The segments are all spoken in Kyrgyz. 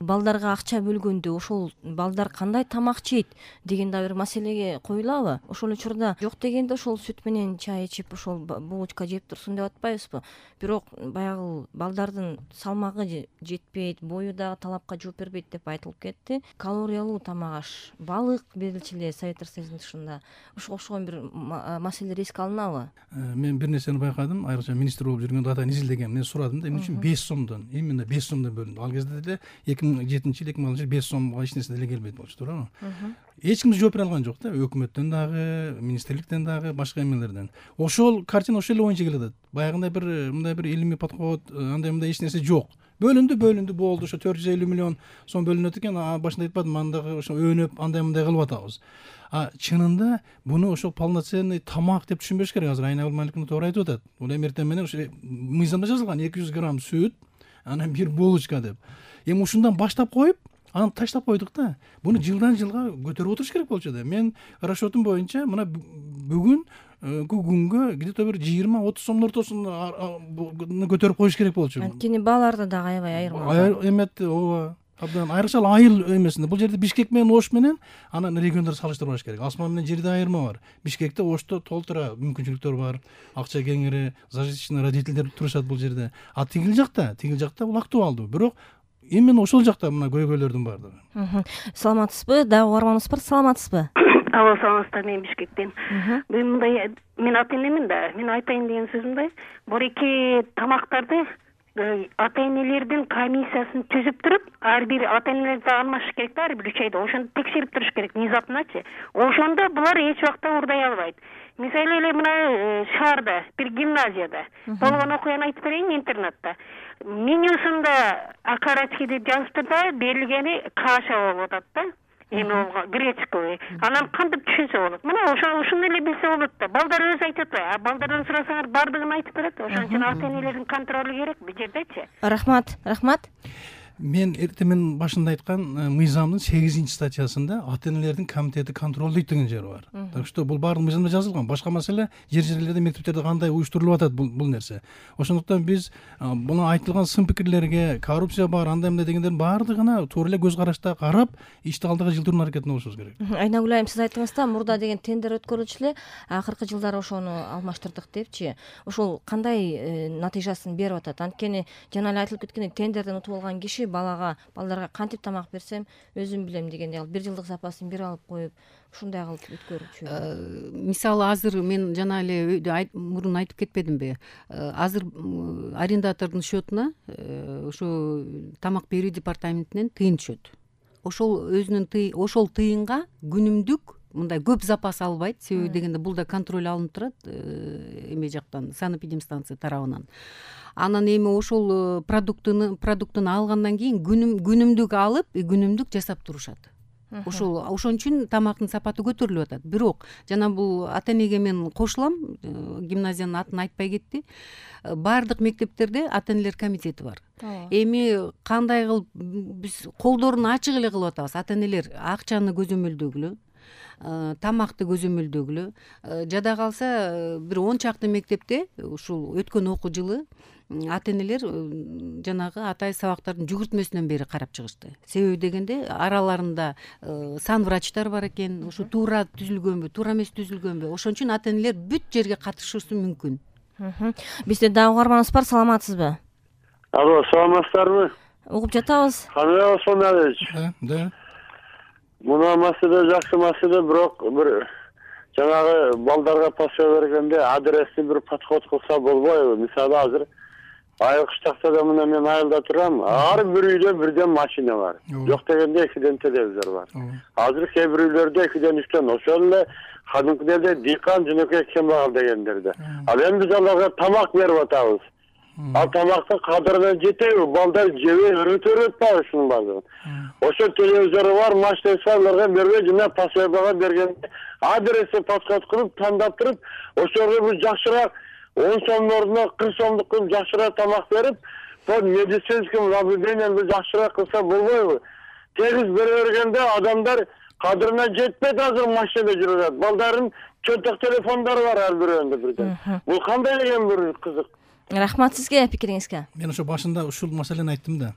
балдарга акча бөлгөндө ошол балдар кандай тамак жейт деген да бир маселеге коюлабы? Ошол учурда жок дегенде ошол сүт менен чай ичип ошол булочка жеп турсун деп атпайбызбы? Бирок баягы балдардын салмагы жетпейт, бою дагы талапка жооп бербейт деп айтылып кетти. Калориялуу тамак аш, балык берилчү эле Советтер Союзунун тышында. Ошого окшогон бир маселе эске алынабы? Мен бир нерсени байкадым, айрыкча министр болуп жүргөндө атайын изилдегем. Мен сурадым да, эмне үчүн 5 сомдон, именно 5 сомдон бөлүндү. Ал кезде деле 2007-жыл, 2006-жыл 5 сомго эч нерсе деле келбейт болчу, туурабы? Эч ким жооп бере алган жок да, өкмөттөн дагы, министрликтен дагы, башка эмелерден. Ошол картина ошол эле боюнча келатат. Баягындай мындай бир илимий подход, андай эч нерсе жок. Бөлүндү болду, ошо 450 миллион сом бөлүнөт экен. Башында айтпадым, андагы ошо өнөп андай кылып атабыз. Чынында буну ошо полноценный тамак деп түшүнбөш керек. Азыр Айнагүл Маликова туура айтып атат. Бул эртең менен ошо мыйзамда жазылган 200 грамм сүт, анан бир булочка деп. Эми ушундан баштап коюп, аны таштап койдук да. Буну жылдан жылга көтөрүп отуруш керек болчу да. Мен расчетум боюнча мына бүгүн күнгө где-то бир 20-30 сомдун ортосуна көтөрүп коюш керек болчу. Анткени бааларда дагы аябай айырма. Эметти, ооба. Абдан айрыкча айыл эмесинде. Бул жерде Бишкек менен Ош менен анан региондор салыштырбаш керек. Асман менен жерде айырма бар. Бишкекте, Ошто толтура мүмкүнчүлүктөр бар. Акча кеңири, зажиточный родительдер турушат бул жерде. Тигил жакта бул актуалдуу. Бирок именно ошол жакта мына көйгөйлөрдүн баардыгы. Саламатсызбы? Дагы угарманыбыз бар. Саламатсызбы? Алло, саламатсыздар, мен Бишкектен. Мындай, мен ата-энемин да. Мен айтайын деген сөзүм мындай. Бул эки тамактарды ата-энелердин комиссиясын түзүп туруп, ар бир ата-энелерди алмашыш керек да, ар бир 3 айда. Ошону текшерип туруш керек, внезапночи. Ошондо булар эч убакта урдай албайт. Мисалы эле мына шаарда, бир гимназияда болгон окуяны айтып берейин, интернатта. Менюсунда акарачки деп жазыптыр да, берилгени каша болуп атат да. Эми гречковый. Анан кантип түшүнсө болот. Мына ошону эле билсе болот да. Балдар өзү айтып атпайбы? Балдардан сурасаңар бардыгын айтып берет. Ошон үчүн ата-энелердин контролу керек бул жердечи. Рахмат. Мен эртең башында айткан мыйзамдын 8-статьясында ата-энелердин комитети контролдойт деген жери бар. Так что бул баардык мыйзамда жазылган. Башка маселе жерлерде, мектептерде кандай уюштурулуп атат бул нерсе. Ошондуктан биз буну айтылган сын пикирлерге, коррупция бар, андай дегендердин баардыгына туура эле көз карашта карап, ишти алдыга жылдыруу аракетине болушубуз керек. Айнагүл айым, сиз айттыңыз да, мурда деген тендер өткөрүлчү эле, акыркы жылдары ошону алмаштырдык депчи. Ошол кандай натыйжасын берип атат? Анткени жана эле айтылып кеткендей, тендерден утуп алган киши балдарга кантип тамак берсем өзүм билем дегендей, 1 жылдык запасын бир алып коюп, ушундай кылып өткөрүчү. Мисалы азыр мен жана эле мурун айтып кетпедимби? Азыр арендатордун счетуна ошо тамак берүү департаментинен тыйын түшөт. Ошол тыйынга күнүмдүк мындай көп запас албайт. Себеби дегенде бул да контроль алынып турат эме жактан, санэпидемстанция тарабынан. Анан эми ошол продуктуну алгандан кийин күнүмдүк алып, күнүмдүк жасап турушат. Ошон үчүн тамактын сапаты көтөрүлүп атат. Бирок жана бул ата-энеге мен кошулам, гимназиянын атын айтпай кетти. Бардык мектептерде ата-энелер комитети бар. Эми кандай кылып биз колдорун ачык эле кылып атабыз. Ата-энелер акчаны көзөмөлдөгүлө, тамакты көзөмөлдөгүлө. Жада калса бир 10 чакты мектепте ушул өткөн окуу жылы ата-энелер жанагы атай сабактардын жүгүртмөсүнөн бери карап чыгышты. Себеби дегенде араларында сан врачтар бар экен, ушу туура түзүлгөнбү, туура эмес түзүлгөнбү. Ошон үчүн ата-энелер бүт жерге катышуусу мүмкүн. Бизде дагы угарманыбыз бар. Саламатсызбы? Алло, саламатсыздарбы? Угуп жатабыз. Кандай Осмонович? Да. Мына маселе жакшы маселе, бирок бир жанагы балдарга паспорт бергенде адрести бир подход кылса болбойбу? Мисалы азыр Айыл кыштакта мына мен айылда турам. Ар бир үйдө бирден машина бар. Жок дегенде 2ден телевизор бар. Азыр кээ бир үйлөрдө 2ден 3ден, ошол эле кадимкилерде дыйкан жөнөкөй кембагал дегендерде. Ал эми биз аларга тамак берип атабыз. Ал тамактын кадырына жетеби? Балдар жебей өрөтөп атпайбы ушунун баардыгын? Ошо телевизору бар, машинасы бар, аларга бербей жана паспортага бергенде адрести подход кылып тандап туруп, ошого биз жакшыраак 10 сомдун ордуна 40 сомдук кылып жакшыраак тамак берип, бул медицинский наблюдениени жакшыраак кылса болбойбу? Тегиз бере бергенде адамдар кадырына жетпейт, азыр машинада жүрүп атат. Балдардын чөнтөк телефондору бар ар бирөөнүндө бирден. Бул кандай деген бир кызык. Рахмат сизге пикириңизге. Мен ошо башында ушул маселени айттым да.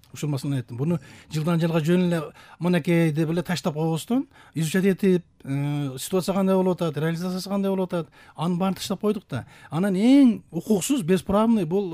Буну жылдан жылга жөн эле мынакей деп эле таштап койбостон изучать этип, ситуация кандай болуп атат, реализациясы кандай болуп атат, анын баарын таштап койдук да. Анан эң укуксуз, бесправный бул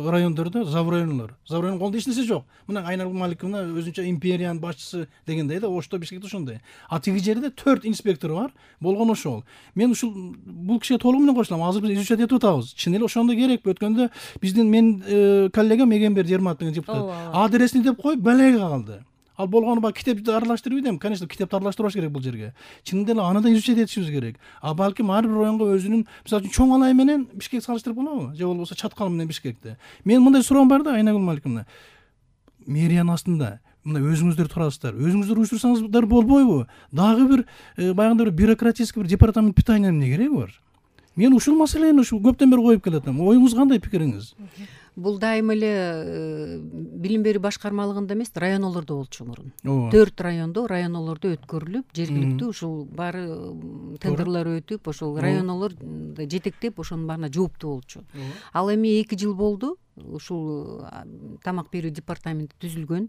райондордо заврайонлор. Заврайондун колунда эч нерсе жок. Мына Айнагүл Маликовна өзүнчө империянын башчысы дегендей да, Ошто, Бишкекте ошондой. А тиги жерде 4 инспектор бар, болгон ошол. Мен ушул бул кишиге толугу менен кошулам. Азыр биз изучать этип атабыз. Чын эле ошондой керекпи? Өткөндө биздин мен коллегам Эгембер Жермат деген депутат адресин деп коюп балайга калды. Ал болгону баягы китепти аралаштырып идем. Конечно, китепти аралаштырбаш керек бул жерге. Чынында эле аны да изучать этишибиз керек. А балким ар бир районго өзүнүн, мисалы үчүн Чоң Алай менен Бишкек салыштырып болобу? Же болбосо Чаткал менен Бишкекти. Мен мындай суроом бар да, Айнагүл Маликовна. Мэриянын астында мына өзүңүздөр турасыздар. Өзүңүздөр уюштурсаңыздар болбойбу? Дагы бир баягындай бир бюрократический бир департамент питания эмне кереги бар? Мен ушул маселени көптөн бери коюп келатам. Оюңуз кандай, пикириңиз? Бул дайыма эле билим берүү башкармалыгында эмес, районолордо болчу мурун. 4 районолордо өткөрүлүп, жергиликтүү ушул баары тендерлер өтүп, ошол районолор жетектеп, ошонун баарына жооптуу болчу. Ал эми 2 жыл болду. Ушул тамак берүү департаменти түзүлгөн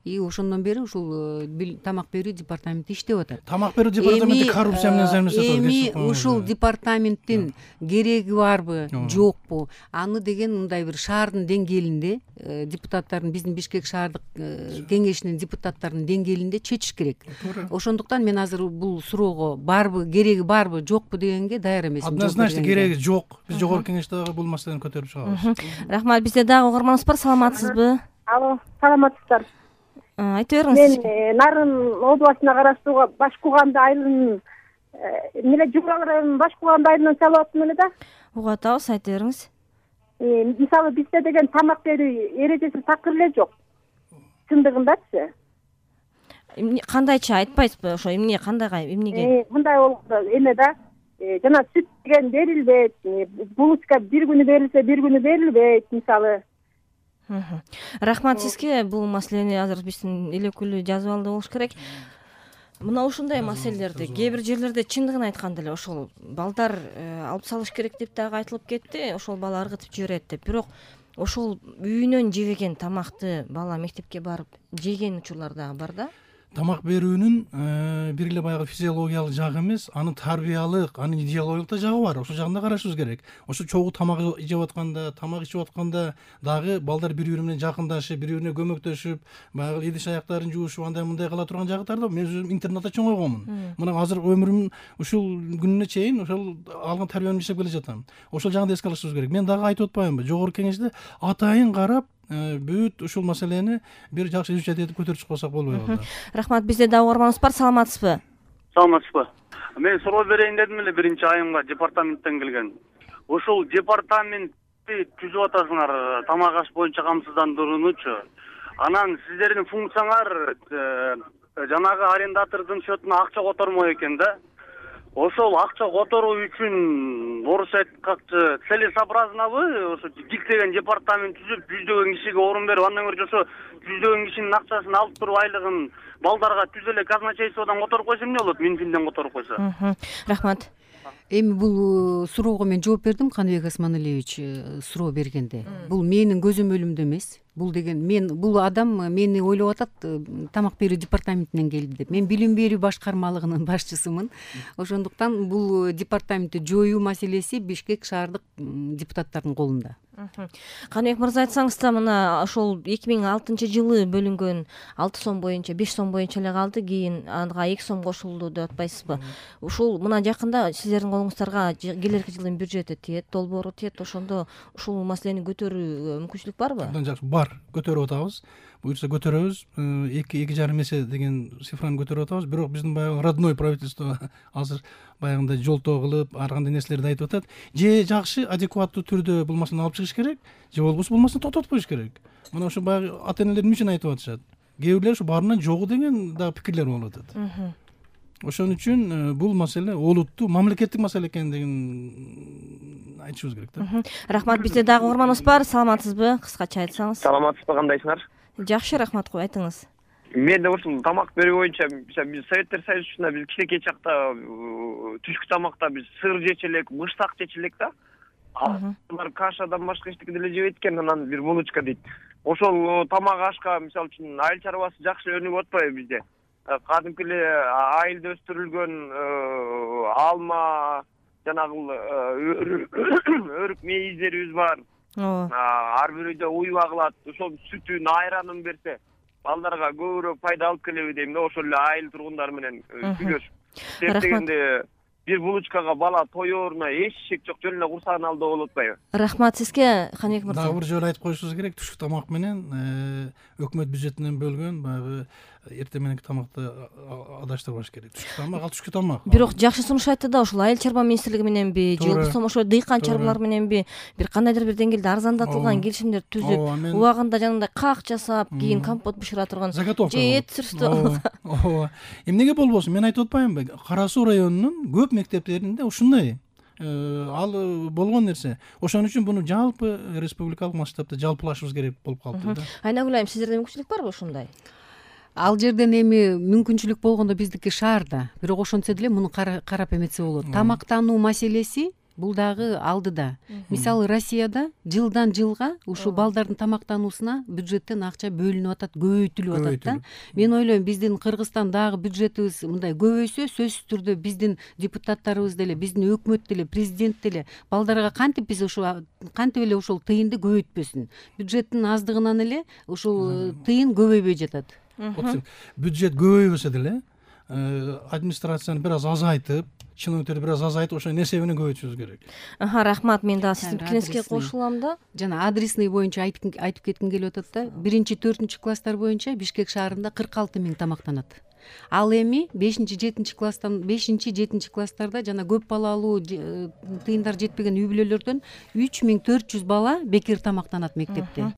и ошондон бери ушул тамак берүү департаменти иштеп атат. Тамак берүү департаменти коррупция менен займаштап атат. Эми ушул департаменттин кереги барбы, жокпу? Аны деген мындай бир шаардын деңгээлинде депутаттардын, биздин Бишкек шаардык кеңешинин депутаттарынын деңгээлинде чечиш керек. Ошондуктан мен азыр бул суроого барбы, кереги барбы, жокпу дегенге даяр эмесмин. Однозначно кереги жок. Биз жогорку кеңеште бул маселени көтөрүп чыгабыз. Рахмат. Бизде дагы угарманыбыз бар. Саламатсызбы? Алло, саламатсыздар. Айта бериңиз. Мен Нарын областына караштуу Башкуганды айылынын Жумурал районунун Башкуганды айылынан чалып аттым эле да. Угуп атабыз, айта бериңиз. Мисалы бизде деген тамак берүү эрежеси такыр эле жок. Чындыгындачы. Кандайча айтпайсызбы? Ошо эмне, кандайга, эмнеге? Мындай болду эме да. Жана сүт деген берилбейт, булочка бир күнү берилсе, бир күнү берилбейт, мисалы. Рахмат сизге. Бул маселени азыр биздин эл өкүлү жазып алды болуш керек. Мына ушундай маселелерди кээ бир жерлерде чындыгын айтканда эле ошол балдар алып салыш керек деп дагы айтылып кетти. Ошол бала ыргытып жиберет деп. Бирок ошол үйүнөн жебеген тамакты бала мектепке барып жеген учурлар дагы бар да. Тамак берүүнүн бир эле баягы физиологиялык жагы эмес, анын тарбиялык, анын идеологиялык да жагы бар. Ошол жагына карашыбыз керек. Ошо чогуу тамак жеп атканда, тамак ичип атканда дагы балдар бири-бири менен жакындашып, бири-бирине көмөктөшүп, баягы идиш аяктарын жуушуп, андай мындай кыла турган жагыттар да. Мен өзүм интернатта чоңойгонмун. Мына азыр өмүрүм ушул күнүнө чейин ошол алган тарбиямды иштеп келе жатам. Ошол жагын эске алышыбыз керек. Мен дагы айтып атпаймынбы? Жогорку кеңеште атайын карап, бүт ушул маселени бир жакшы изучать этип көтөрүп чыкпасак болбойбу. Рахмат. Бизде дагы угарманыбыз бар. Саламатсызбы? Саламатсызбы. Мен суроо берейин дедим эле, биринчи айымга департаменттен келген. Ушул департаментти түзүп атасыңар, тамак аш боюнча камсыздандыруунучу. Анан сиздердин функцияңар жанагы арендатордун счетуна акча котормоо экен да. Ошол акча которуу үчүн орусча айткачы целесообразнобы ошо диктеген департамент түзүп, жүздөгөн кишиге орун берип, андан көрө ошо жүздөгөн кишинин акчасын алып туруп айлыгын балдарга түз эле казначействодон которуп койсо эмне болот? Минфинден которуп койсо. Рахмат. Эми бул суроого мен жооп бердим, Каныбек Осмоналиевич суроо бергенде. Бул менин көзөмөлүмдө эмес. Бул деген бул адам мени ойлоп атат, тамак берүү департаментинен келди деп. Мен билим берүү башкармалыгынын башчысымын. Ошондуктан бул департаментти жоюу маселеси Бишкек шаардык депутаттардын колунда. Каныбек мырза, айтсаңыз да, мына ошол 2006-жылы бөлүнгөн 6 сом боюнча 5 сом боюнча эле калды, кийин ага 2 сом кошулду деп атпайсызбы? Ушул мына жакында сиздердин колуңуздарга келерки жылдын бюджети тиет, долбоору тиет, ошондо ушул маселени көтөрүү мүмкүнчүлүк барбы? Абдан жакшы, бар. Көтөрүп атабыз. Буюрса көтөрөбүз. 2,5 эсе деген цифраны көтөрүп атабыз. Бирок биздин баягы родной правительство азыр баягындай жолтоо кылып, ар кандай нерселерди айтып атат. Же жакшы, адекваттуу түрдө бул маселени алып чыгыш керек, же болбосо бул маселени токтотуп коюш керек. Мына ошо баягы ата-энелер эмне үчүн айтып атышат? Кээ бирлер ушу баарынан жогу деген да пикирлер болуп атат. Ошон үчүн бул маселе олуттуу, мамлекеттик маселе экендигин айтышыбыз керек да. Рахмат. Бизде дагы угарманыбыз бар. Саламатсызбы? Кыскача айтсаңыз. Саламатсызбы, кандайсыңар? Жакшы, рахмат. Айтыңыз. Мен да ушул тамак берүү боюнча биз Советтер Союзунда биз кичинекей чакта түшкү тамакта биз сыр жечү элек, мышсак жечү элек да. Алар кашадан башка эчтеке деле жебейт экен, анан бир булочка дейт. Ошол тамак ашка мисалы үчүн айыл чарбасы жакшы өнүгүп атпайбы бизде? Кадимки эле айылда өстүрүлгөн алма, жанагы өрүк мейиздерибиз бар. Ар бир үйдө уй багылат. Ошол сүтүн, айранын берсе, балдарга көбүрөөк пайда алып келеби дейм да, ошол эле айыл тургундары менен сүйлөшүп. Дегенде бир булочкага бала тоёруна эшек жок, жөн эле курсагын алдоо болуп атпайбы? Рахмат сизге, Каныбек мырза. Дагы бир жолу айтып коюшубуз керек, түшүк тамак менен өкмөт бюджетинен бөлгөн баягы эртең мененки тамакты адаштырбаш керек. Түшүк тамак ал түшкү тамак. Бирок жакшы сунуш айтты да, ушул айыл чарба министрлиги мененби, же болбосо ошо дыйкан чарбалар мененби бир кандайдыр бир деңгээлде арзандатылган келишимдер түзүп, убагында жанагындай каак жасап, кийин компот бышыра турган же эт сүрүштү. Ооба. Эмнеге болбосун? Мен айтып атпаймынбы? Кара Суу районунун көп мектептеринде ушундай ал болгон нерсе. Ошон үчүн буну жалпы республикалык масштабта жалпылашыбыз керек болуп калды да. Айнагүл айым, сиздерде мүмкүнчүлүк барбы ушундай? Ал жерден эми мүмкүнчүлүк болгондо биздики шаарда, бирок ошентсе деле муну карап эметсе болот. Тамактануу маселеси бул дагы алдыда. Мисалы Россияда жылдан жылга ушул балдардын тамактануусуна бюджеттен акча бөлүнүп атат, көбөйтүлүп атат да. Мен ойлойм, биздин Кыргызстан дагы бюджетибиз мындай көбөйсө, сөзсүз түрдө биздин депутаттарыбыз деле, биздин өкмөт деле, президент деле балдарга кантип эле ушул тыйынды көбөйтпөсүн. Бюджеттин аздыгынан эле ушул тыйын көбөйбөй жатат. Бюджет көбөйбөсө деле администрацияны бир аз азайтып, чиновниктерди бир аз азайтып, ошонун эсебинен көбөйтүшүбүз керек. Рахмат, мен дагы сиздин пикириңизге кошулам да. Жана адресный боюнча айтып кетким келип атат да. 1-4 класстар боюнча Бишкек шаарында 46 000 тамактанат. Ал эми 5-7 класстарда жана көп балалуу тыйындар жетпеген үй бүлөлөрдөн 3400 бала бекер тамактанат мектепте.